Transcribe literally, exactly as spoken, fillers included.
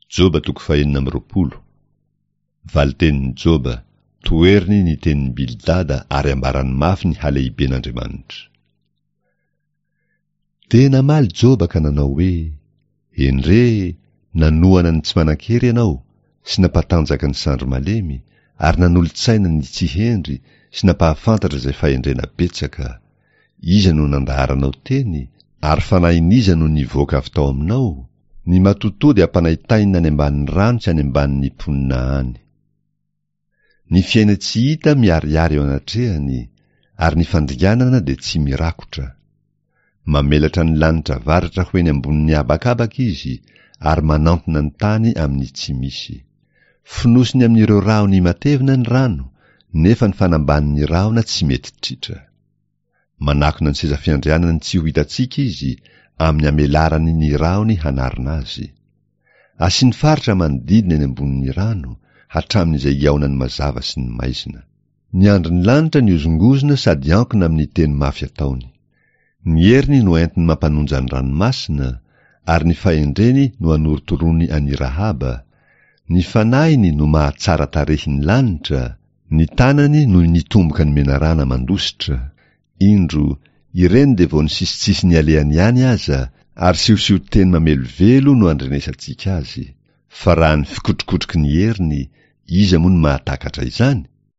Joba toko fahenina amby roapolo. Valitenin'i Joba, toheriny ny tenin'i Bildada ary ambarany mafy ny halehiben'Andriamanitra. Dia namaly Joba ka nanao hoe, Endrey, nanohana ny tsy manan-kery ianao, sy nampatanjaka ny sandry malemy, ary nanolo-tsaina ny tsy hendry sy nampahafantatra izay fahendrena betsaka. Iza no nandaharanao teny, ary fanahin'iza no nivoaka avy tao aminao? Ny matotoa dia ampanaintainina any ambanin'ny rano sy any ambanin'ny mponina any. Ny fiaina-tsy hita miharihary eo anatrehany, ary ny fandringanana dia tsy mirakotra. Mamelatra ny lanitra avaratra ho eny ambonin'ny habakabaka izy, ary manantona ny tany amin'ny tsy misy. Fonosiny amin'ireo rahony matevina ny rano, nefa ny fanambanin'ny rahona tsy mety tritra. Manakona ny seza fiandrianany tsy ho hitantsika izy, amin'ny amelarany ny rahony hanarona azy. Asiany faritra manodidina eny ambonin'ny rano, hatramin'izay hihaonan'ny mazava sy ny maizina. Ny andron'ny lanitra nihozongozona sady ankona amin'ny teny mafy ataony. Ny heriny no entiny mampanonja ny ranomasina, ary ny fahendreny no anorotoroany an'i Rahaba. Ny fanahiny no mahatsara tarehy ny lanitra, ny tanany no nitomboka ny menarana mandositra. Indro, ireny dia vao ny sisitsisiny alehany ihany aza, ary siosion-teny mamelovelo no andrenesantsika azy. Fa raha ny fikotrokotroky ny heriny, iza moa no mahatakatra izany?